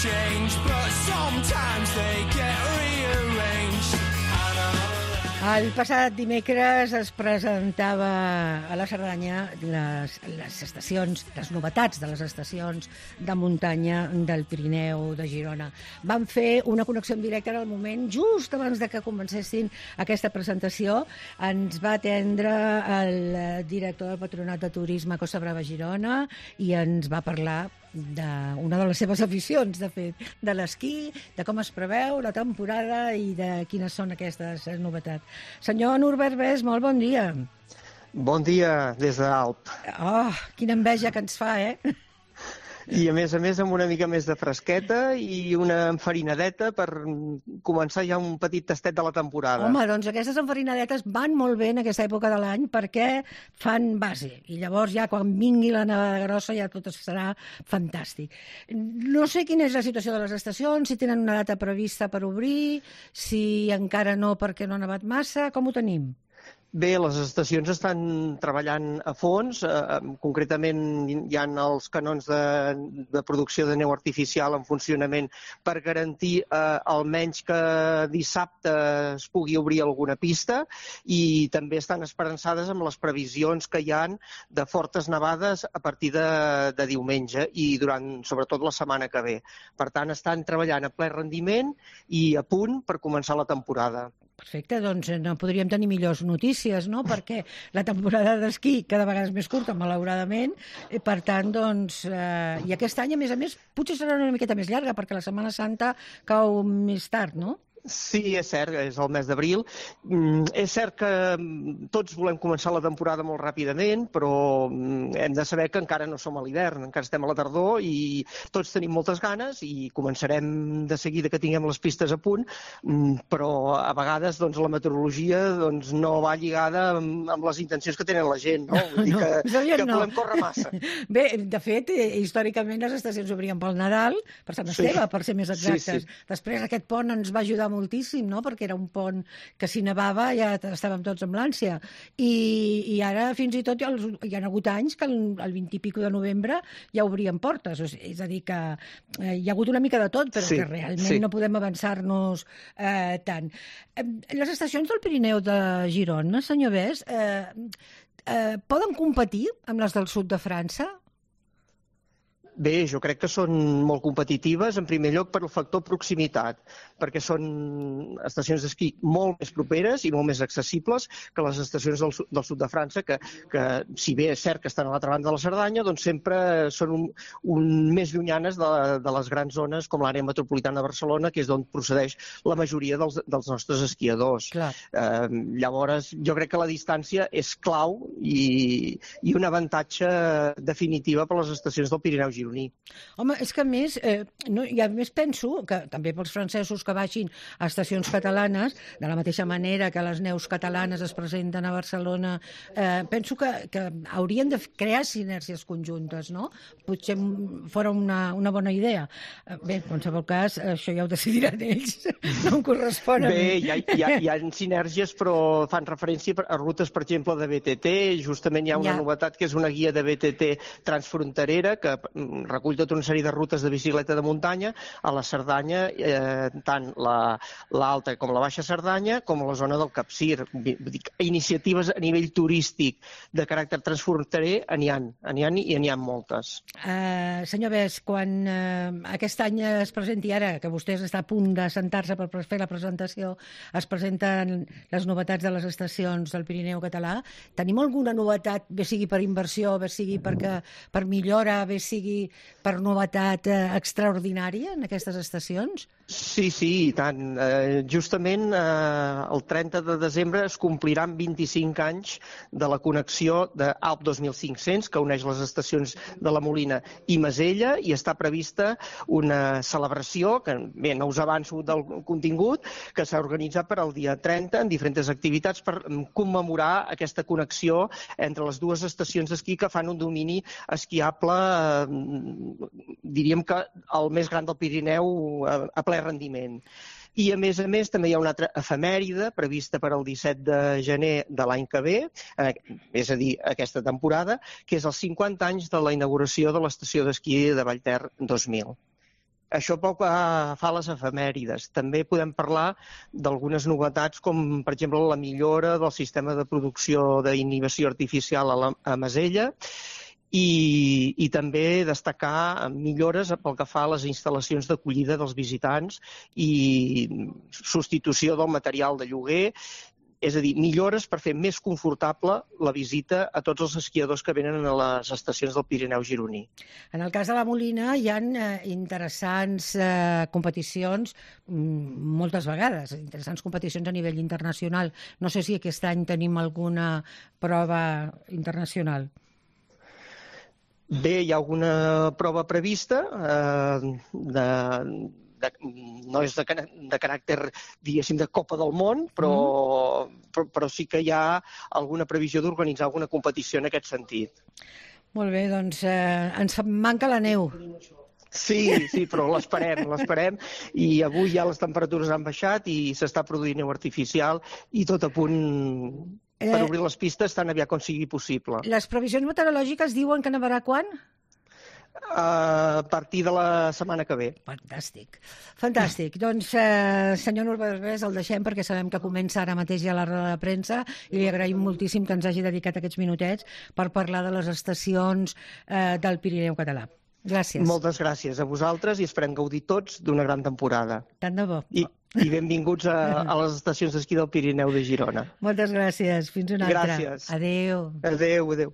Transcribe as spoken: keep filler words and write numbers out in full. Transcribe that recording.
change, but sometimes they get rearranged. El passat dimecres es presentava a la Cerdanya les, les estacions, les novetats de les estacions de muntanya del Pirineu de Girona. Van fer una connexió en directe en el moment, just abans de que comencessin aquesta presentació. Ens va atendre el director del Patronat de Turisme Costa Brava Girona i ens va parlar d'una de les seves aficions, de fet, de l'esquí, de com es preveu la temporada i de quines són aquestes novetats. Senyor Norbert Bes, molt bon dia. Bon dia des d'Alp. Oh, quina enveja que ens fa, eh? I a més a més amb una mica més de fresqueta i una enfarinadeta per començar ja un petit tastet de la temporada. Home, doncs aquestes enfarinadetes van molt bé en aquesta època de l'any perquè fan base. I llavors ja quan vingui la nevada grossa ja tot serà fantàstic. No sé quina és la situació de les estacions, si tenen una data prevista per obrir, si encara no perquè no ha nevat massa, com ho tenim? Bé, les estacions estan treballant a fons, eh, concretament hi ha els canons de, de producció de neu artificial en funcionament per garantir eh, almenys que dissabte es pugui obrir alguna pista i també estan esperançades amb les previsions que hi ha de fortes nevades a partir de, de diumenge i durant sobretot la setmana que ve. Per tant, estan treballant a ple rendiment i a punt per començar la temporada. Perfecte, doncs no podríem tenir millors notícies, no? Perquè la temporada d'esquí cada vegada és més curta, malauradament, i per tant, doncs, eh, i aquest any, a més a més, potser serà una miqueta més llarga, perquè la Setmana Santa cau més tard, no? Sí, és cert, és el mes d'abril. Mm, és cert que tots volem començar la temporada molt ràpidament, però hem de saber que encara no som a l'hivern, encara estem a la tardor i tots tenim moltes ganes i començarem de seguida que tinguem les pistes a punt, però a vegades doncs, la meteorologia doncs, no va lligada amb, amb les intencions que tenen la gent, no? Vull dir que, no, que no. volem córrer massa. Bé, de fet, històricament les estacions obrien pel Nadal, per Sant Esteve, sí. Per ser més exactes. Sí, sí. Després aquest pont ens va ajudar moltíssim, no? Perquè era un pont que si nevava ja estàvem tots amb l'ànsia. I, i ara fins i tot hi ha, hi ha hagut anys que el, el vint i pico de novembre ja obrien portes. O sigui, és a dir, que eh, hi ha hagut una mica de tot, però sí, que realment sí. No podem avançar-nos eh, tant. Eh, les estacions del Pirineu de Girona, senyor Bes, eh, eh, poden competir amb les del sud de França? Bé, jo crec que són molt competitives, en primer lloc per el factor proximitat, perquè són estacions d'esquí molt més properes i molt més accessibles que les estacions del, del sud de França, que, que si bé és cert que estan a l'altra banda de la Cerdanya, doncs sempre són un, un més llunyanes de, de les grans zones com l'àrea metropolitana de Barcelona, que és d'on procedeix la majoria dels, dels nostres esquiadors. Eh, llavors, jo crec que la distància és clau i, i un avantatge definitiva per les estacions del Pirineu gironí. Home, és que a més, eh, no, i a més penso que també pels francesos que vagin a estacions catalanes, de la mateixa manera que les neus catalanes es presenten a Barcelona, eh, penso que, que haurien de crear sinergies conjuntes, no? Potser fora una, una bona idea. Bé, en qualsevol cas, això ja ho decidiran ells, no em correspon a mi. Bé, hi ha, hi, ha, hi ha sinergies, però fan referència a rutes, per exemple, de B T T. Justament hi ha una ja. novetat que és una guia de B T T transfronterera que recull tota una sèrie de rutes de bicicleta de muntanya a la Cerdanya, eh, tant l'alta com la baixa Cerdanya, com a la zona del Capcir. Iniciatives a nivell turístic de caràcter transfronterer n'hi ha, n'hi ha i n'hi ha moltes. Uh, senyor Bes, quan uh, aquest any es presenti ara, que vostès està a punt de sentar-se per fer la presentació, es presenten les novetats de les estacions del Pirineu català, tenim alguna novetat, bé sigui per inversió, bé sigui perquè, per millora, bé sigui per novetat eh, extraordinària en aquestes estacions? Sí, sí, i tant. Eh, justament eh, el trenta de desembre es compliran vint-i-cinc anys de la connexió d'Alp dos mil cinc-cents, que uneix les estacions de la Molina i Masella, i està prevista una celebració, que bé, no us avanço del contingut, que s'ha organitzat per al dia trenta en diferents activitats per commemorar aquesta connexió entre les dues estacions d'esquí que fan un domini esquiable, eh, diríem que el més gran del Pirineu a, a ple rendiment. I, a més a més, també hi ha una altra efemèride prevista per al disset de gener de l'any que ve, eh, és a dir, aquesta temporada, que és els cinquanta anys de la inauguració de l'estació d'esquí de Vallter dos mil. Això pel que fa a les efemèrides. També podem parlar d'algunes novetats, com per exemple la millora del sistema de producció d'inhibició artificial a, la, a Masella, i, i també destacar millores pel que fa a les instal·lacions d'acollida dels visitants i substitució del material de lloguer. És a dir, millores per fer més confortable la visita a tots els esquiadors que venen a les estacions del Pirineu gironí. En el cas de la Molina hi ha eh, interessants eh, competicions, moltes vegades, interessants competicions a nivell internacional. No sé si aquest any tenim alguna prova internacional. Bé, hi ha alguna prova prevista eh, de... De, no és de, de caràcter, diguéssim, de Copa del Món, però, mm. però, però sí que hi ha alguna previsió d'organitzar alguna competició en aquest sentit. Molt bé, doncs eh, ens manca la neu. Sí, sí, però l'esperem, l'esperem, i avui ja les temperatures han baixat i s'està produint neu artificial i tot a punt per obrir les pistes tan aviat com sigui possible. Les previsions meteorològiques diuen que nevarà quan? A partir de la setmana que ve. Fantàstic. Fantàstic. Doncs, eh, senyor Norbergués, el deixem perquè sabem que comença ara mateix ja la roda de premsa i li agraïm moltíssim que ens hagi dedicat aquests minutets per parlar de les estacions eh, del Pirineu català. Gràcies. Moltes gràcies a vosaltres i esperem gaudir tots d'una gran temporada. Tant de bo. I, i benvinguts a, a les estacions d'esquí del Pirineu de Girona. Moltes gràcies. Fins una altra. Gràcies. Adéu. Adéu, adéu.